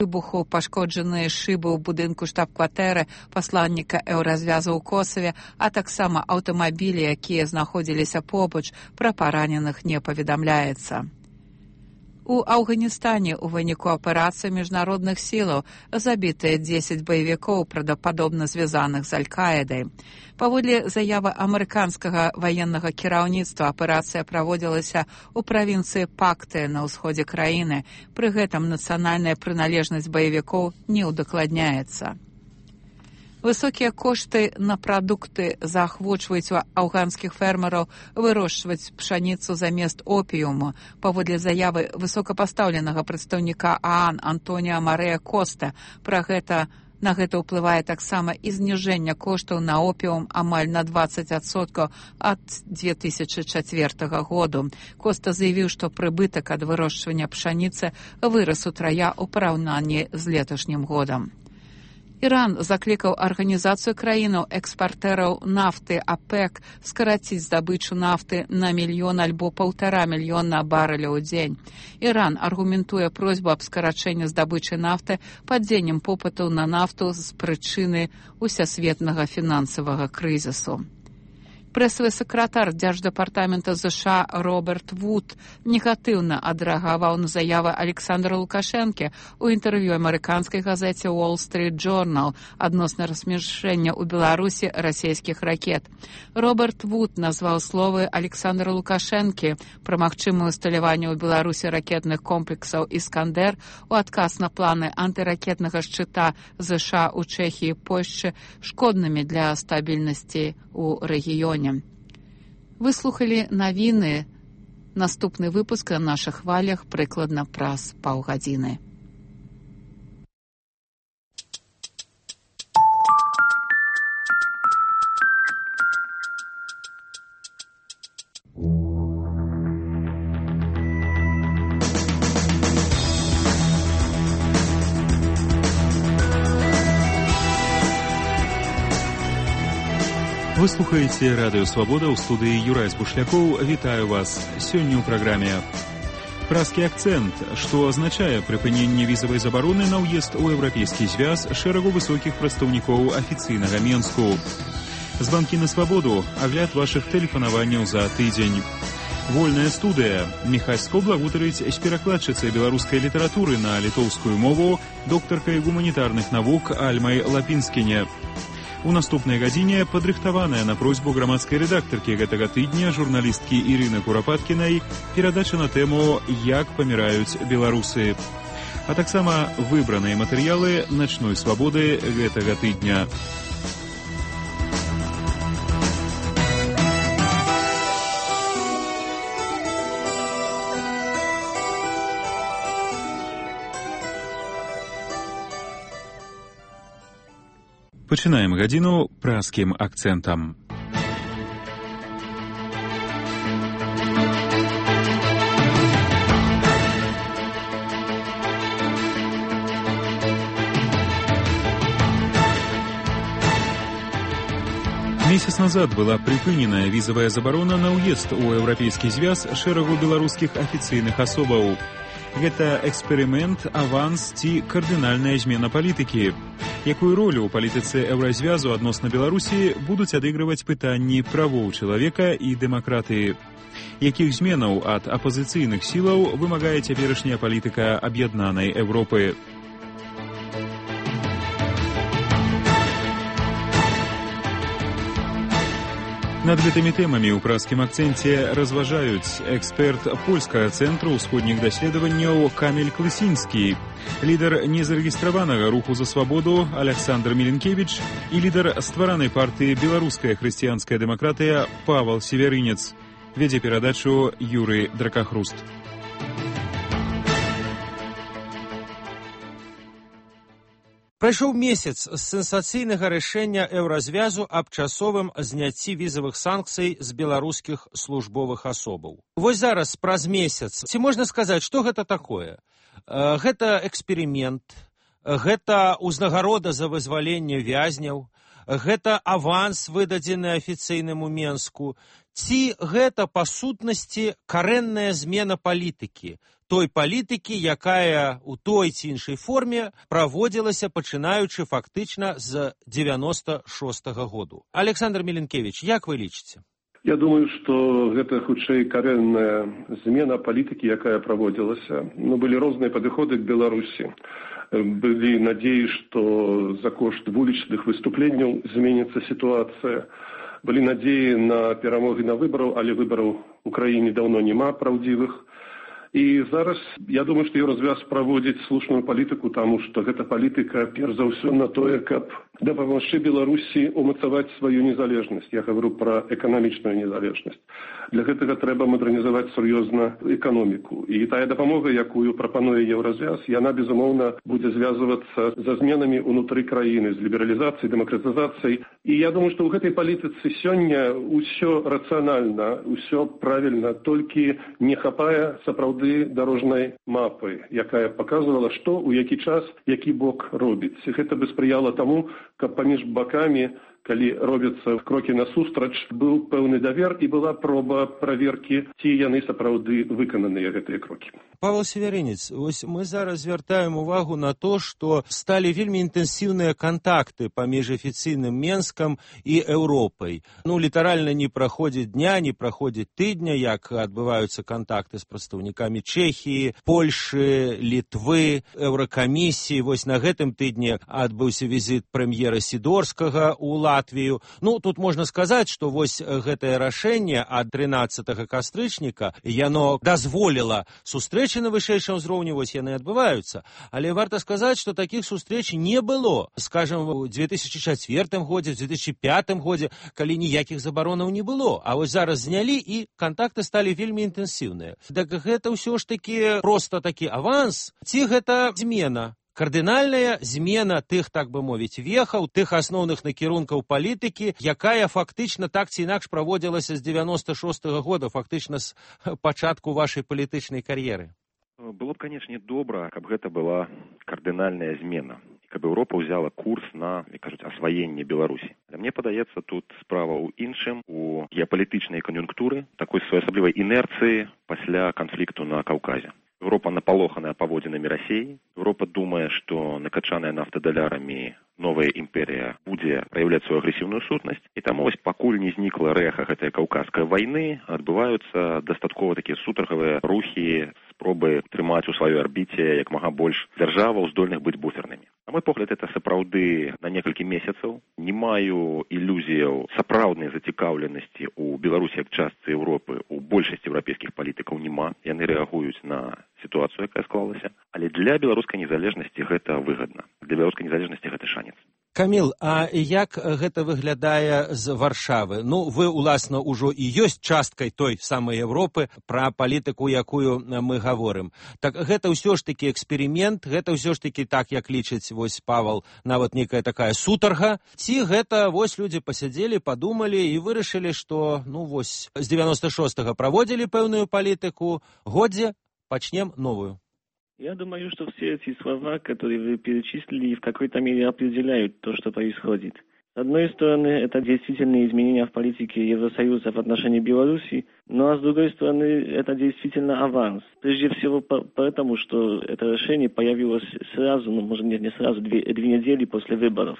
Выбуху пашкоджаныя шыбы ў будынку штаб-кватэры пасланніка Еўразвязу ў Косаве, а таксама аўтамабілі, якія знаходзіліся побач, пра параненых не паведамляецца. У Афганістане ў выніку аперацыі міжнародных сілаў забітыя 10 баевікоў, правдападобна звязаных з Аль-Каідай. Паводле заявы амерыканскага ваеннага кіраўніцтва, аперацыя праводзілася ў правінцыі Пакты на ўсходзе краіны. Пры гэтым нацыянальная прыналежнасць баевікоў не ўдакладняецца. Высокія кошты на прадукты заахвочваюць афганскіх фермераў вырошчваць пшаніцу замест опіуму. Паводле заявы высокапастаўленага прадстаўніка ААН Антоніа Марыя Коста, на гэта ўплывае таксама і зніжэнне коштаў на опіум амаль на 20% ад 2004 году. Коста заявіў, што прыбытак ад вырошчвання пшаніцы вырас утрая ў параўнанні з леташнім годам. Іран заклікаў арганізацыю краінаў экспартэраў нафты ОПЕК скараціць здабычу нафты на 1 мільён альбо 1,5 мільёна барэляў у дзень. Іран аргументуе просьбу аб скарачэнні здабычы нафты падзеннем попыту на нафту з прычыны усесветнага фінансавага крызісу. Прэсавы сакратар Дзярждэпартамента США Роберт Вуд негатыўна адрэагаваў на заявы Александра Лукашэнкі ў інтэрв'ю амерыканскай газеце Wall Street Journal адносна размяшчэння ў Беларусі расійскіх ракет. Роберт Вуд назваў словы Александра Лукашэнкі пра магчымае усталяванне ў Беларусі ракетных комплексаў «Іскандер» у адказ на планы антыракетнага шчыта США ў Чэхіі і Польшчы шкоднымі для стабільнасці ў рэгіёне. Выслухалі навіны. Наступны выпуск на нашых хвалях прыкладна праз паўгадзіны. Вы слухаеце Радыё Свабода, ў студыі Юрай Збушлякоў. Вітаю вас. Сёння ў праграме «Празкі акцэнт», што азначае прыпыненне візавай забароны на ўезд у Еўрапейскі звяз шэрагу высокіх прадстаўнікоў афіцыйнага Менску. Званкі на свабоду, агляд вашых тэлефанаванняў за тыдзень. Вольная студыя. Міхась Скобла гутарыць з перакладчыцай беларускай літаратуры на літоўскую мову, доктаркай гуманітарных навук Альмай Лапінскіне. У наступнай гадзіне падрыхтаваная на просьбу грамадскай рэдактаркі гэтага тыдня журналісткі Ірыны Курапаткінай перадача на тэму «Як паміраюць беларусы», а таксама выбраныя матэрыялы начной свабоды гэтага тыдня. Пачынаем гадзіну празкім акцэнтам. Месяц назад была прыпыненая візавая забарона на ўезд у Еўрапейскі звяз шэрагу беларускіх афіцыйных асобаў. Гэта эксперымент, аванс ці кардынальная змена палітыкі. Якую ролю ў палітыцы Еўразвязу адносна Беларусі будуць адыгрываць пытанні правоў чалавека і дэмакратыі? Якіх зменаў ад апазіцыйных сілаў вымагае цяперашняя палітыка аб'яднанай Еўропы? Над гэтымі тэмамі ў празкім акцэнце разважаюць эксперт польскага цэнтру ўсходніх даследаванняў Каміль Клысінскі, лідар незарэгістраванага руху за свабоду Аляксандр Міленкевіч і лідар стваранай партыі «Беларуская хрысціянская дэмакратыя» Павал Северынец. Вядзе перадачу Юрый Дракахруст. Прайшоў месяц з сенсацыйнага рашэння Еўразвязу аб часовым зняцці візавых санкцый з беларускіх службовых асобаў. Вось зараз, праз месяц, ці можна сказаць, што гэта такое? Гэта эксперымент, гэта ўзнагарода за вызваленне вязняў, гэта аванс, выдадзены афіцыйнаму Менску, ці гэта, па сутнасці, карэнная змена палітыкі, той палітыкі, якая у той ці іншай форме праводзілася, пачынаючы фактычна з 96-го году. Александр Миленкевич, як вы лічыце? Я думаю, што гэта хутчэй карэнная змена палітыкі, якая праводзілася. Былі розныя падыходы к Беларусі. Былі надзеі, што за кошт вулічных выступленняў зменіцца сітуацыя. Былі надзеі на перамогі на выбараў, але выбараў у краіне даўно няма праўдзівых. І зараз, я думаю, што Еўразвяз праводзіць слушную палітыку, таму што гэта палітыка, перш за ўсё, на тое, каб дапамагчы Беларусі умацаваць сваю незалежнасць. Я гавару пра эканамічную незалежнасць. Для гэтага трэба мадэрнізаваць сур'ёзна эканоміку. І тая дапамога, якую прапануе Еўразвяз, яна, безумоўна, будзе звязвацца за зменамі ўнутры краіны, з лібералізацыяй, дэмакратызацыяй. І я думаю, што ў гэтай палітыцы сёння ўсё рацыянальна, ўсё правільна, толькі не хапае сапраўды дарожнай мапы, якая паказвала, што у які час, які бок робіць. Гэта бы спрыяла таму, каб паміж бакамі, калі робяцца крокі насустрач, быў пэўны давер і была проба праверкі, ці яны сапраўды выкананыя гэтыя крокі. Павел Северинец, вось мы зараз звяртаем увагу на то, што сталі вельмі інтэнсіўныя кантакты паміж афіцыйным Менскам і Еўропай. Літаральна не праходзіць дня, не праходзіць тыдня, як адбываюцца кантакты з прадстаўнікамі Чэхіі, Польшы, Літвы, Еўракамісіі. Вось на гэтым тыдні адбыўся візіт прэм'ера Сідорскага ў Латвію. Тут можна сказаць, што вось гэтае рашэнне ад 13 кастрычніка, яно дазволіла сустрэчы на вышэйшым узроўні, вось яны адбываюцца. Але варта сказаць, што такіх сустрэч не было, скажам, у 2004 годзе, в 2005 годзе, калі ніякіх забаронаў не было. А вось зараз знялі, і кантакты сталі вельмі інтэнсіўныя. Так гэта ўсё ж такі проста такі аванс, ці гэта змена? Кардынальная змена тых, так бы мовіць, вехаў, тых асноўных накірункаў палітыкі, якая фактычна так ці інакш праводзілася з 96-го года, фактычна з пачатку вашай палітычнай кар'еры. Было б, канечне, добра, каб гэта была кардынальная змена, каб Еўропа ўзяла курс на, як кажуць, асваенне Беларусі. Але мне падаецца, тут справа ў іншым, у геапалітычнай кан'юнктуры, такой своеасаблівай інерцыі пасля канфлікту на Каўказе. Еўропа напалоханая паводзінамі Расіі. Еўропа думае, што накачаная нафтадалярамі новая імперія будзе праяўляць сваю агрэсіўную сутнасць. І таму вось пакуль не знікла рэха гэтай каўказскай вайны, адбываюцца дастаткова такія сутаргавыя рухі, спробы трымаць у сваёй арбіце як мага больш дзяржаваў, здольных быць буфернымі. На мой погляд, это сапраўды на некалькі месяцаў. Не маю ілюзіяў сапраўднай зацікаўленасці ў Беларусі як частцы Еўропы, у большасці еўрапейскіх палітыкаў няма. Яны рэагуюць на сітуацыю, якая склалася. Але для беларускай незалежнасці гэта выгадна. Для беларускай незалежнасці гэта шанец. Каміл, а як гэта выглядае з Варшавы? Вы, уласна, ужо і ёсць часткай той самай Еўропы, пра палітыку, якую мы гаворым. Так гэта ўсё ж такі эксперымент, гэта ўсё ж такі так, як лічыць вось Павел, нават некая такая сутарга, ці гэта вось людзі пасядзелі, падумалі і вырашылі, што вось з 96-го праводзілі пэўную палітыку, годзе пачнем новую. Я думаю, что все эти слова, которые вы перечислили, в какой-то мере определяют то, что происходит. С одной стороны, это действительно изменения в политике Евросоюза в отношении Беларуси, а с другой стороны, это действительно аванс. Прежде всего потому, что это решение появилось сразу, может не сразу, две недели после выборов.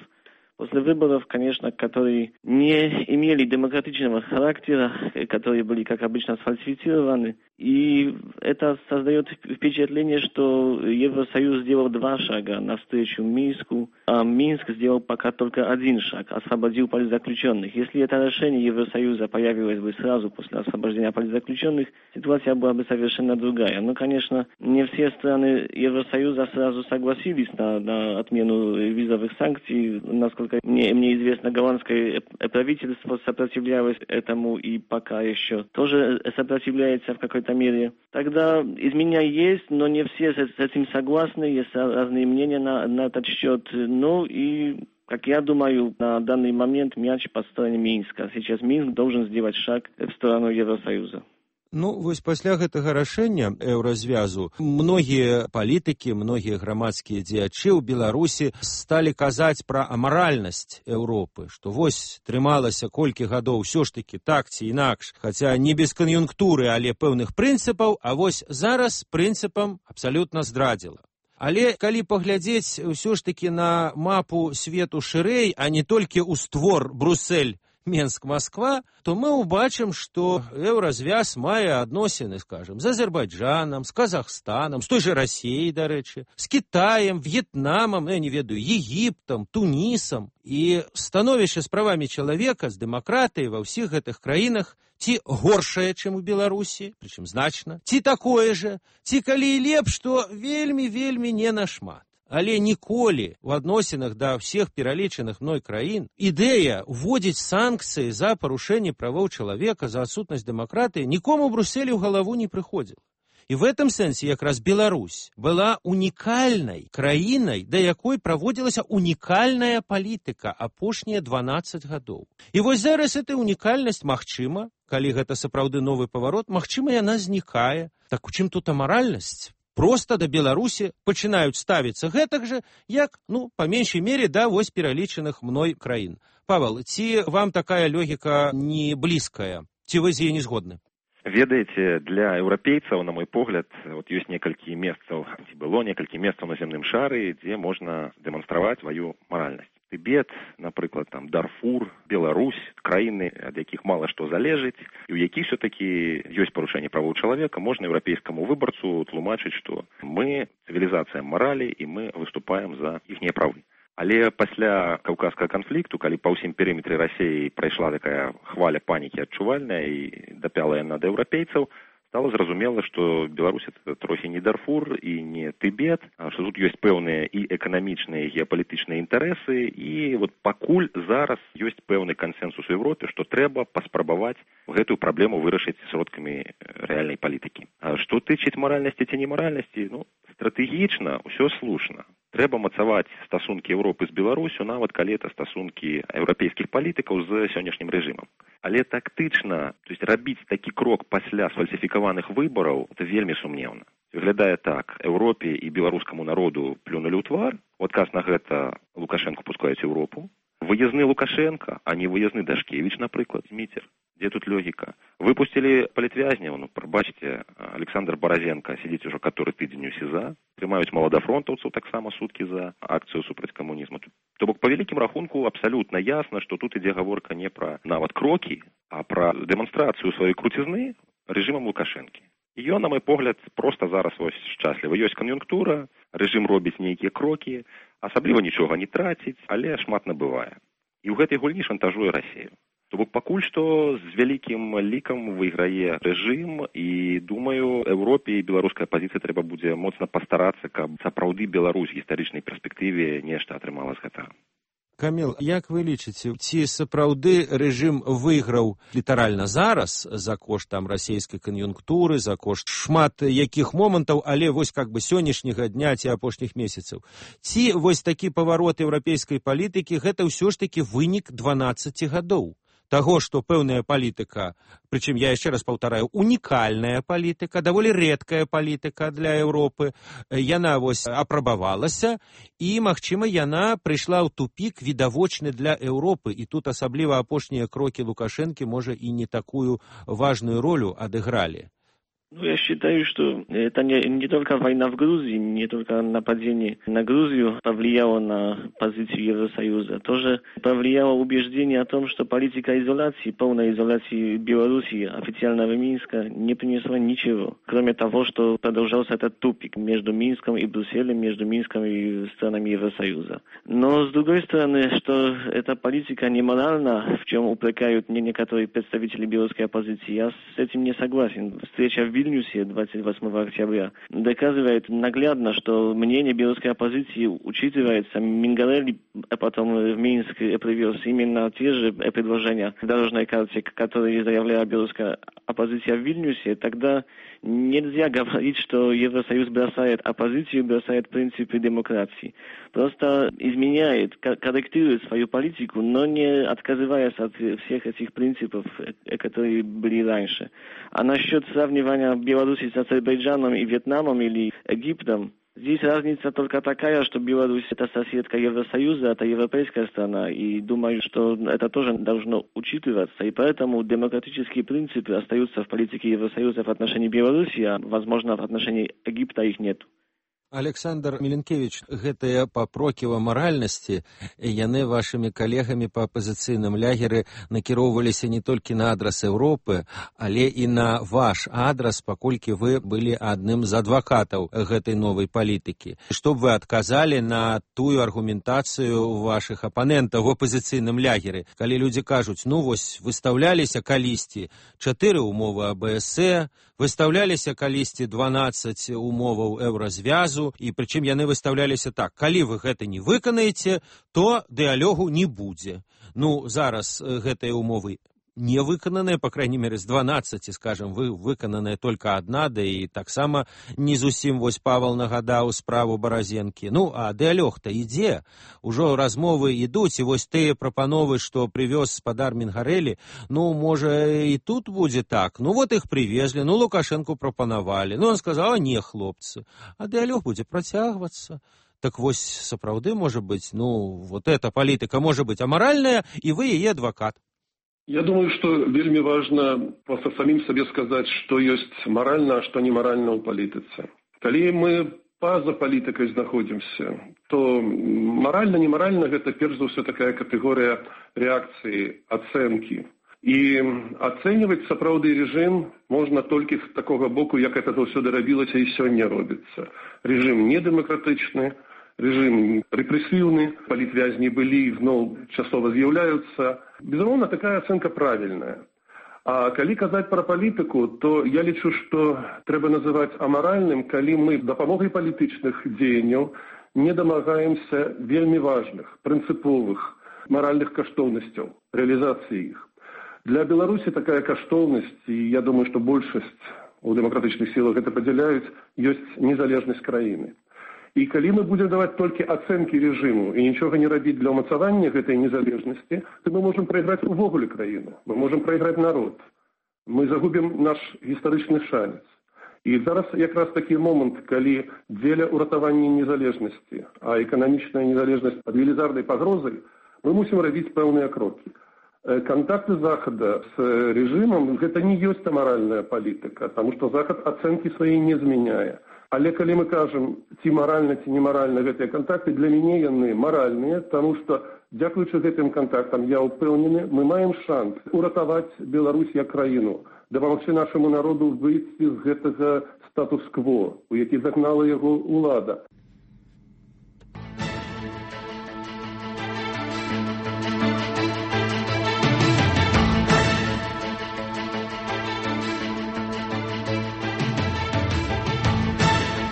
После выборов, конечно, которые не имели демократичного характера, которые были, как обычно, сфальсифицированы. И это создает впечатление, что Евросоюз сделал 2 шага навстречу Минску, а Минск сделал пока только 1 шаг, освободил политзаключенных. Если это решение Евросоюза появилось бы сразу после освобождения политзаключенных, ситуация была бы совершенно другая. Но, конечно, не все страны Евросоюза сразу согласились на отмену визовых санкций. Насколько мне известно, голландское правительство сопротивлялось этому и пока еще тоже сопротивляется в какой-то мере. Тогда изменения есть, но не все с этим согласны, есть разные мнения на этот счет. И, как я думаю, на данный момент мяч по стороне Минска. Сейчас Минск должен сделать шаг в сторону Евросоюза. Ну, вось пасля гэтага рашэння еўразвязу многія палітыкі, многія грамадскія дзеячы ў Беларусі сталі казаць пра амаральнасць Еўропы, што вось трымалася колькі гадоў усё ж такі так ці інакш, хаця не без кан'юнктуры, але пэўных прынцыпаў, а вось зараз прынцыпам абсалютна здрадзіла. Але калі паглядзець ўсё ж такі на мапу свету шырэй, а не толькі ў створ Брусэль, Менск, Москва, то мы ўбачым, што еўразвяз мае адносіны, скажем, з Азербайджанам, з Казахстанам, з той жа Расіяй, дарэчы, з Кітаем, В'етнамам, я не ведаю, Егіптам, Тунісам. І становішча з правамі чалавека, з дэмакратыяй ва ўсіх гэтых краінах ці горшае, чым у Беларусі, прычым значна, ці такое же, ці калі і лепш, то вельмі не нашмат. Але ніколі ў адносінах да ўсіх пералічаных мной краін ідэя ўводзіць санкцыі за парушэнне правоў чалавека, за адсутнасць дэмакратыі нікому ў Брусэлі ў галаву не прыходзіла. І в этом сэнсе якраз Беларусь была унікальнай краінай, да якой праводзілася унікальная палітыка апошнія 12 гадоў. І вось зараз эта унікальнасць магчыма, калі гэта сапраўды новы паварот, магчыма, яна знікае. Так у чым тут амаральнасць? Просто да Беларусі пачынаюць ставіцца гэтак жа, як, па меншай мере, да вось пералічаных мной краін. Павел, ці вам такая логіка не блізкая? Ці вы з яе не згодны? Ведаеце, для еўрапейцаў, на мой погляд, ёсць некалькі месцаў, ці было некалькі месцаў на зямным шары, дзе можна дэманстраваць сваю маральнасць. Тыбет, напрыклад, Дарфур, Беларусь, краіны, ад якіх мала што залежыць, і ў якіх все-таки ёсць парушэнне правоў чалавека, можна еўрапейскаму выбарцу тлумачыць, што мы цывілізацыя маралі і мы выступаем за іхнія правы. Але пасля каўказскага канфлікту, калі па ўсім перыметры Расіі прайшла такая хваля панікі адчувальная і дапяла яна да еўрапейцаў, стало зразумела, што Беларусь это трохі не Дарфур і не Тыбет, што тут ёсць пэўныя і эканамічныя, і геапалітычныя інтарэсы, і пакуль зараз ёсць пэўны кансэнсус у Еўропе, што трэба паспрабаваць гэтую праблему вырашыць сродкамі рэальнай палітыкі. А што тычыць маральнасці ці немаральнасці, стратэгічна ўсё слушна. Трэба мацаваць стасункі Еўропы з Беларусю, нават калі это стасункі еўрапейскіх палітыкаў з сённяшнім рэжымам. Але тактычна, то есть рабіць такі крок пасля сфальсіфікаваных выбараў, это вельмі сумнеўна. Выглядае так, Еўропе і беларускаму народу плюнулі ў твар, у адказ на гэта Лукашэнку пускаюць Еўропу. Выязны Лукашенко, а не выязны Дашкевіч, напрыклад, Зміцер. Дзе тут логіка? Выпусцілі палітвязняў, прабачце, Александр Баразенко сидзіць ужо каторы тыдзень у СІЗА, трымаюць маладафронтаўцаў таксама суткі за акцыю супраць камунізму. То бок, па вялікім рахунку, абсалютна ясна, што тут ідзе гаворка не пра нават крокі, а пра дэманстрацыю сваёй круцізны рэжымам Лукашэнкі. І ён, на мой погляд, проста зараз шчаслівы. Ёсць кан'юнктура, рэжым робіць нейкія крокі, асабліва нічога не траціць, але шмат набывае. І ў гэтай гульні шантажуе Расію. То бок пакуль што з вялікім лікам выйграе рэжым, і, думаю, Еўропе і беларускай апазіцыі трэба будзе моцна пастарацца, каб сапраўды Беларусь в гістарычнай перспектыве нешта атрымала з гэтага. Каміл, як вы лічыце, ці сапраўды рэжым выйграў літаральна зараз за кошт расійскай кан'юнктуры, за кошт шмат якіх момантаў, але вось сённяшняга дня ці апошніх месяцаў? Ці вось такі паварот еўрапейскай палітыкі гэта ўсё ж такі вынік 12 гадоў? Таго, што пэўная палітыка, прычым я яшчэ раз паўтараю, унікальная палітыка, даволі рэдкая палітыка для Еўропы, яна апрабавалася, і, магчыма, яна прыйшла ў тупік відавочны для Еўропы, і тут асабліва апошнія крокі Лукашэнкі, можа, і не такую важную ролю адыгралі. Я считаю, что это не только война в Грузии, не только нападение на Грузию повлияло на позицию Евросоюза. Тоже повлияло убеждение о том, что политика изоляции, полной изоляции Беларуси, официального Минска, не принесла ничего. Кроме того, что продолжался этот тупик между Минском и Брюсселем, между Минском и странами Евросоюза. Но, с другой стороны, что эта политика неморальна, в чем упрекают некоторые представители белорусской оппозиции, я с этим не согласен. Встреча в Вильнюсе 28 октября доказывает наглядно, что мнение белорусской оппозиции учитывается. Мингарелли потом в Минск привез именно те же предложения в дорожной карте, которые заявляла белорусская оппозиция в Вильнюсе. Тогда Нельзя говорить, что Евросоюз бросает оппозицию, бросает принципы демократии. Просто изменяет, корректирует свою политику, но не отказываясь от всех этих принципов, которые были раньше. А насчет сравнивания Беларуси с Азербайджаном и Вьетнамом или Египтом, здесь разница только такая, что Беларусь – это соседка Евросоюза, это европейская страна, и думаю, что это тоже должно учитываться, и поэтому демократические принципы остаются в политике Евросоюза в отношении Беларуси, а, возможно, в отношении Египта их нет. Александр Миленкевич, гэтыя папроківа маральнасці, яны вашымі калегамі па апазіцыйным лягеры накіроўваліся не толькі на адрас Еўропы, але і на ваш адрас, паколькі вы былі адным з адвакатаў гэтай новай палітыкі. Што б вы адказалі на тую аргументацыю вашых апанентаў у апазіцыйным лягеры, калі людзі кажуць, ну вось, выстаўляліся калісьці 4 умовы АБС, выстаўляліся калісьці 12 умоваў еўразвязу, і прычым яны выстаўляліся так, калі вы гэта не выканаеце, то дыялогу не будзе. Ну, зараз гэтыя умовы не выкананыя, по крайней мере, з 12, скажем, выкананая только одна, да і таксама не зусім, вось Павел нагадаў справу Баразенкі. Ну, а дыялог-то ідзе, ужо размовы ідуць, і вось тыя прапановы, што прывёз спадар Мінгарэлі, ну, можа, і тут будзе так. Ну, вот іх привезли, ну, Лукашенку прапанавалі. Ну, он сказал, не, хлопцы, а дыялог будзе працягвацца. Так вось, сапраўды, можа быць, ну, вот эта палітыка можа быць амаральная, і вы яе адвакат. Я думаю, что вельми важно просто самим себе сказать, что есть морально, а что неморально у политицы. Коли мы поза политикой находимся, то морально-неморально это, перш за все, такая категория реакции, оценки. И оценивать сапраўдны режим можно только с такого боку, как это все робилось и сегодня робится. Режим недемократичный, режим репрессивный, политвязни были, но часово з'являются. Безумовно, такая оценка правильная. А калі казаць про политику, то я лічу, что трэба называть аморальным, калі мы дапамогай палітычных дзеянняў не домагаемся вельми важных, принциповых, моральных каштоўнасцяў, реализации их. Для Беларуси такая каштоўнасць, и я думаю, что большасць у демократычных силах это падзяляюць, ёсць незалежнасць краіны. И калі мы будем давать только оценки режиму и ничего не робить для умацавання этой незалежности, то мы можем проиграть увогуле краіну, мы можем проиграть народ, мы загубим наш историчный шанец. И зараз якраз такі момент, калі дзеля уратавання незалежности, а экономичная незалежность под велізарнай пагрозой, мы мусим робить пэўныя кроки. Контакты Захода с режимом – это не есть аморальная политика, потому что Заход оценки свои не зменяе. Але калі мы кажам, ці маральна, ці немаральна гэтыя контакты, для мяне яны маральныя, потому что, дзякуючы гэтым контактам, я ўпэўнены, мы маем шанс уратаваць Беларусь як краіну, дапамагчы нашаму народу выйсці з гэтага статус-кво, у які загнала яго ўлада.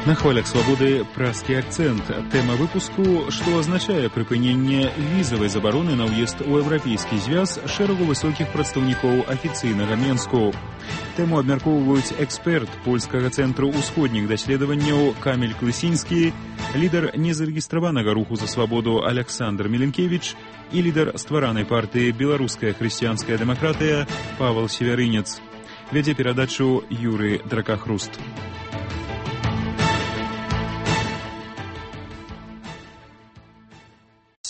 На хвалях свабоды празкі акцэнт. Тэма выпуску, што азначае прыпыненне візавай забароны на ўезд у Еўрапейскі звяз шэрагу высокіх прадстаўнікоў афіцыйнага Менску. Тэму абмяркоўваюць эксперт польскага цэнтру ўсходніх даследаванняў Каміль Клысінскі, лідар незарэгістраванага руху за свабоду Александр Миленкевич і лідар стваранай партыі «Беларуская хрысціянская дэмакратыя» Павел Северынец. Вядзе перадачу Юрый Дракахруст.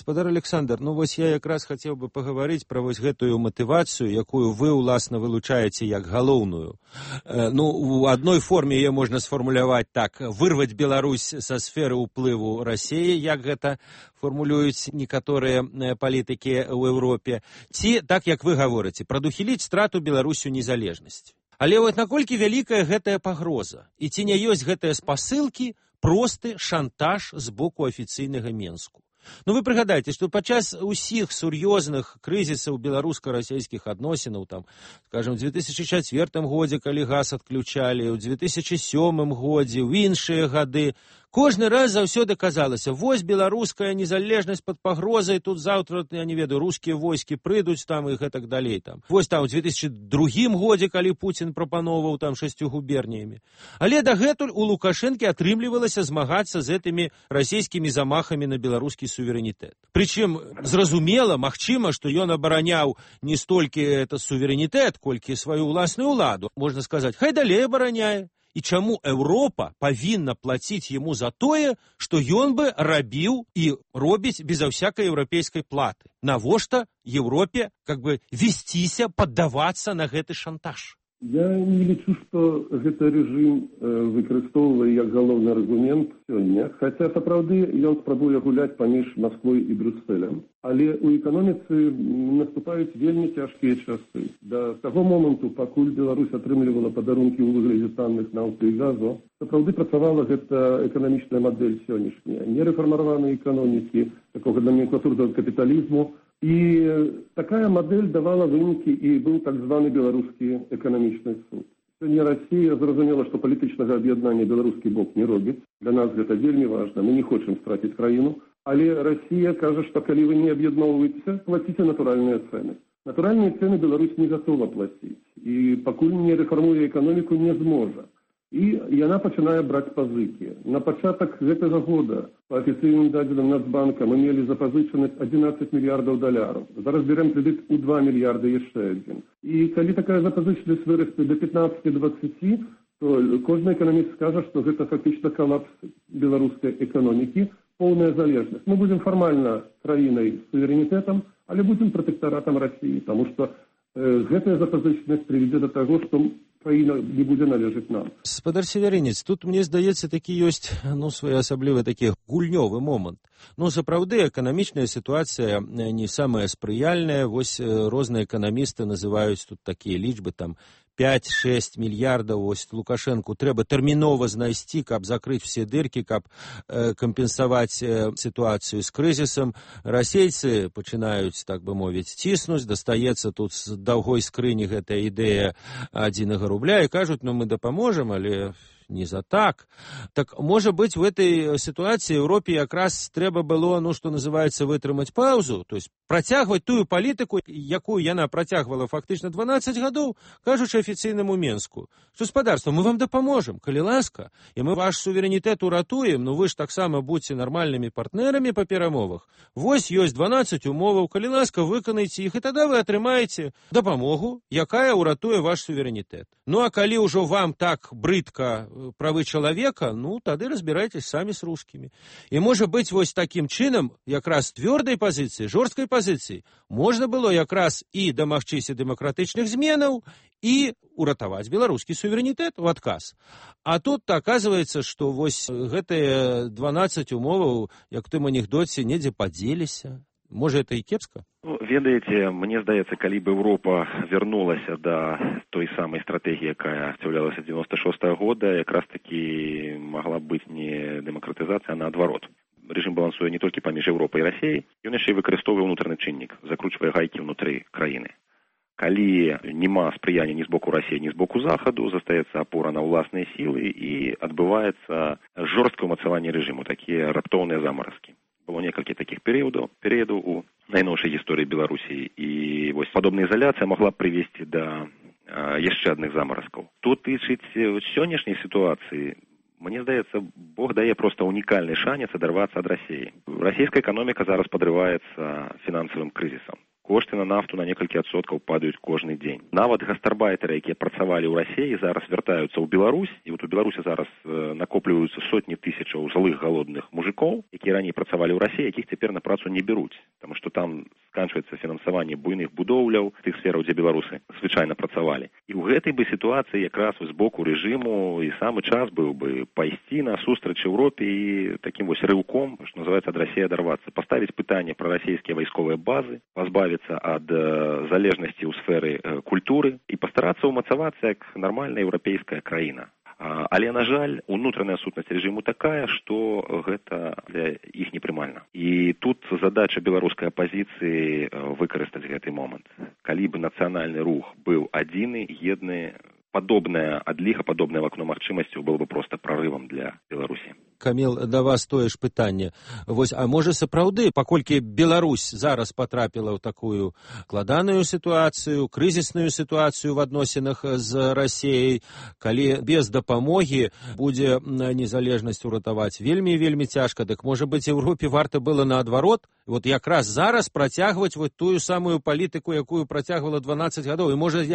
Спадар Александр, ну вось я якраз хацеў бы пагаварыць пра вось гэтую матывацыю, якую вы, уласна, вылучаеце як галоўную. Ну, у адной форме яе можна сфармуляваць так: вырваць Беларусь са сферы ўплыву Расіі, як гэта формулююць некаторыя палітыкі ў Еўропе, ці, так як вы гаворыце, прадухіліць страту Беларусю незалежнасці. Але вот наколькі вялікая гэтая пагроза, і ці не ёсць гэтыя спасылкі просты шантаж з боку афіцыйнага Менску? Ну, вы прыгадайце, што падчас усіх сур'ёзных крызісаў беларуска-расійскіх адносінаў, там, скажем, у 2004 годзе, калі газ адключалі, у 2007 годзе, у іншыя гады, Кожны раз заўсёды казалася, вось беларуская незалежнасць пад пагрозай, тут заўтра, я не ведаю, рускія войскі прыйдуць там і гэтак далей. Там. Вось там у 2002 годзе, калі Пуцін прапановаў там 6 губерніямі. Але дагэтуль у Лукашэнкі атрымлівалася змагацца з гэтымі расійскімі замахамі на беларускі суверэнітэт. Прычым, зразумела, магчыма, што ён абараняў не столькі это суверэнітэт, колькі сваю ўласную ўладу. Можна сказаць, хай далей абараняе. І чаму Еўропа павінна плаціць яму за тое, што ён бы рабіў і робіць безо всякай еўрапейскай платы? Навошта Еўропе весціся, паддавацца на гэты шантаж? Я не лічу, што гэты рэжым выкарыстоўвае як галоўны аргумент сёння, хаця сапраўды ён спрабуе гуляць паміж Масквой і Брюсселем. Але ў эканоміцы наступаюць вельмі цяжкія часы. Да таго моманту, пакуль Беларусь атрымлівала падарункі ў выглядзе танных нафты і газу, сапраўды працавала гэта эканамічная мадэль сённяшняя. Нерэфармаваныя эканомікі, такога номенклатурнага капіталізму. І такая мадэль давала вынікі, і быў так званы беларускі эканамічны суд. Сёння Расія зразумела, што палітычнага аб'яднання беларускі бок не робіць. Для нас гэта вельмі важна, мы не хочам страціць краіну. Але Расія кажа, што калі вы не аб'ядноўваеце, плаціце натуральныя цэны. Натуральныя цэны Беларусь не гатова плаціць. І пакуль не рэфармуе эканоміку, не зможа. І яна пачынае браць пазыкі. На пачатак гэтага года па афіцыйным дадзеным Нацбанка мы мелі запазычанасць 11 мільярдаў даляраў. Зараз берем крэдыт у 2 мільярды яшчэ адзін. І калі такая запазычанасць вырасце до 15-20, то кожны эканаміст скажа, што гэта фактычна калапс беларускай эканомікі, поўная залежнасць. Мы будзем фармальна краінай з суверэнітэтам, але будзем пратэктаратам Расіі, таму што гэтая запазычанасць прывядзе да таго, што краіна не будзе належаць нам. Спадар Северынец, тут, мне здаецца, такі ёсць, своеасаблівы такі гульнёвы момант. Сапраўды, эканамічная сітуацыя не самая спрыяльная. Вось розныя эканамісты называюць тут такія лічбы, там, 5-6 мільярдаў, вось Лукашэнку трэба тэрмінова знайсці, каб закрыць все дыркі, каб кампенсаваць сітуацыю з крызісам. Расейцы пачынаюць, так бы мовіць, ціснуць, дастаецца тут з даўгой скрыні гэтая ідэя 1 рубля і кажуць, мы дапаможам, але не за так. Так, можа быць, в этой ситуации Европе якраз трэба было, что называется, вытрымаць паузу, то есть працягваць тую палітыку, якую яна працягвала фактычна 12 гадоў, кажучы афіцыйнаму Менску. Гаспадарства, мы вам дапаможам, калі ласка, і мы ваш суверэнітэт уратуем, вы ж таксама будьце нармальнымі партнерамі па перамовах. Вось ёсць 12 умоваў, калі ласка, выканайце іх, і тады вы атрымаеце дапамогу, якая уратуе ваш суверэнітэт. А калі ўжо вам так брыдка правы чалавека, тады разбірайтесь самі з рускімі. І можа быць, вось такім чынам, якраз твёрдай пазіцыі, жорсткай пазіцыі, можна было якраз і дамагчыся дэмакратычных зменаў, і уратаваць беларускі суверэнітэт у адказ. А тут аказваецца, што вось гэтыя 12 умоваў, як в тым анекдоце, недзе падзеліся. Можа, это і кепска? Ведаеце, мне здаецца, калі б Еўропа вярнулася да той самай стратэгіі, якая асцяўлялася 96-го года, якраз такі магла быць не дэмакратызацыя, а наадварот. Рэжым балансуе не толькі паміж Еўропай і Расіяй, ён яшчэ і выкарыстоўвае ўнутраны чыннік, закручвае гайкі ўнутры краіны. Калі няма спрыяння ні з боку Расіі, ні з боку Захаду, застаецца апора на ўласныя сілы і адбываецца жорсткае ўмацаванне рэжыму, такія раптоўныя замаразкі. Было некалькі такіх перыядаў у найноўшай гісторыі Беларусі, і вось падобная ізаляцыя магла прывесці да яшчэ адных замаразкаў. Тут тычыць сённяшняй сітуацыі, мне здаецца, Бог дае проста унікальны шанец адарвацца ад Расіі. Расійская эканоміка зараз падрываецца фінансавым крызісам. Кошты на нафту на некалькі адсоткаў падаюць кожны дзень. Нават гастарбайтары, якія працавалі ў Расіі, зараз вяртаюцца ў Беларусь, і у Беларусі зараз накопліваюцца сотні тысячаў злых галодных мужикоў, якія раней працавалі ў Расіі, якіх цяпер на працу не бяруць, таму што там сканчваецца фінансаванне буйных будоўляў, тых сфераў, дзе беларусы звычайна працавалі. І ў гэтай бы сітуацыі якраз з боку рэжыму і самы час быў бы пайсці на сустрач Еўропе і такім вось рыўком, што называецца, ад Расіі адарвацца, паставіць пытанне пра расійскія вайсковыя базы, пазбавіцца ад залежнасці ў сферы культуры і пастарацца ўмацавацца як нармальная еўрапейская краіна. Але, на жаль, унутраная сутнасць рэжыму такая, што гэта для іх непрымальна. І тут задача беларускай апазіцыі выкарыстаць гэты момант. Калі б нацыянальны рух быў адзіны, едны, падобная адліга, падобнае вакно магчымасцяў было бы проста прарывам для Беларусі. Каміл, да вас тое ж пытанне. Вось, а можа сапраўды, паколькі Беларусь зараз патрапіла ў такую складаную сітуацыю, крызісную сітуацыю в адносінах з Расіяй, калі без дапамогі будзе незалежнасць уратаваць вельмі цяжка, дык можа быць Еўропе варта было наадварот, вот якраз зараз працягваць вот тую самую палітыку, якую працягвала 12 гадоў, і можа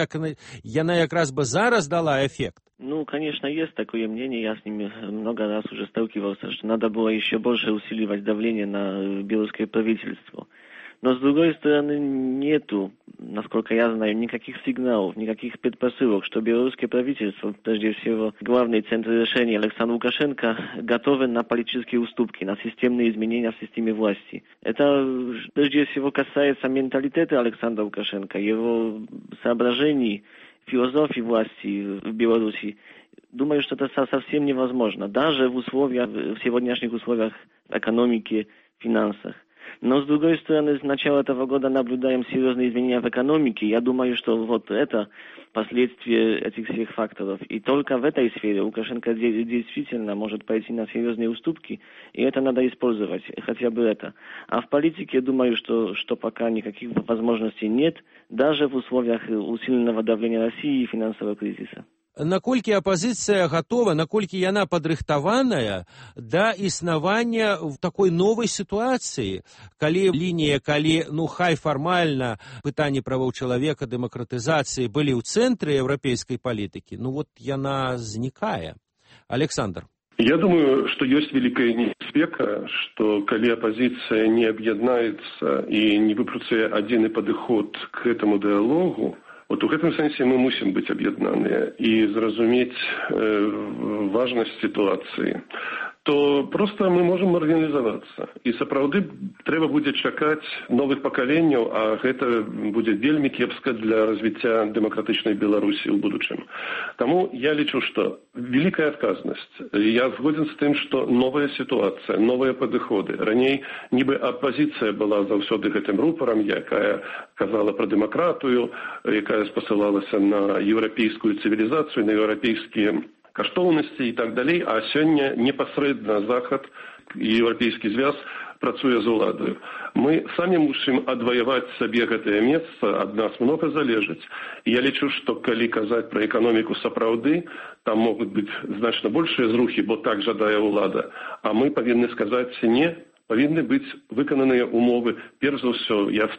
яна якраз бы зараз дала эффект. Ну, конечно, есть такое мнение, я с ними много раз уже сталкивался, что надо было еще больше усиливать давление на белорусское правительство. Но, с другой стороны, нету, насколько я знаю, никаких сигналов, никаких предпосылок, что белорусское правительство, прежде всего, главный центр решения Александр Лукашенко, готовы на политические уступки, на системные изменения в системе власти. Это, прежде всего, касается менталитета Александра Лукашенко, его соображений, философии власти в Беларуси. Думаю, что это совсем невозможно, даже в сегодняшних условиях экономики, финансах. Но, с другой стороны, с начала этого года наблюдаем серьезные изменения в экономике. Я думаю, что вот это последствия этих всех факторов. И только в этой сфере Лукашенко действительно может пойти на серьезные уступки, и это надо использовать, хотя бы это. А в политике, я думаю, что пока никаких возможностей нет, даже в условиях усиленного давления России и финансового кризиса. Наколькі апазіцыя гатова, наколькі яна падрыхтаваная да існавання в такой новай сітуацыі, калі лінія, хай фармальна пытанні правоў чалавека, дэмакратызацыі былі ў цэнтры еўрапейскай палітыкі, вот яна знікае. Александр. Я думаю, что есть великая небезпека, что коли оппозиция не объединяется и не выпрацуе один подход к этому диалогу, вот в этом сенсе мы мусим быть объединены и зразуметь важность ситуации, то просто мы можем маргинализоваться. И сапраўды трэба будзе чакаць новых пакаленняў, а гэта будзе вельмі кепска для развіцця дэмакратычнай Беларусі ў будучым. Таму я лічу, што великая адказнасць. Я згоден з тым, што новая сітуацыя, новыя падыходы. Раней нібы апазіцыя была заўсёды гэтым рупарам, якая казала пра дэмакратыю, якая спасылалася на еўрапейскую цывілізацыю, на еўрапейскія каштоўнасці і так далей, а сёння непасрэдна Захад і Еўрапейскі звяз працуе з уладаю. Мы самі мусім адваяваць сабе гэтае месца, ад нас многа залежыць. Я лічу, што калі казаць пра эканоміку сапраўды, там могуць быць значна большыя зрухі, бо так жадае ўлада. А мы павінны сказаць не, павінны быць выкананыя умовы. Перш за ўсё, я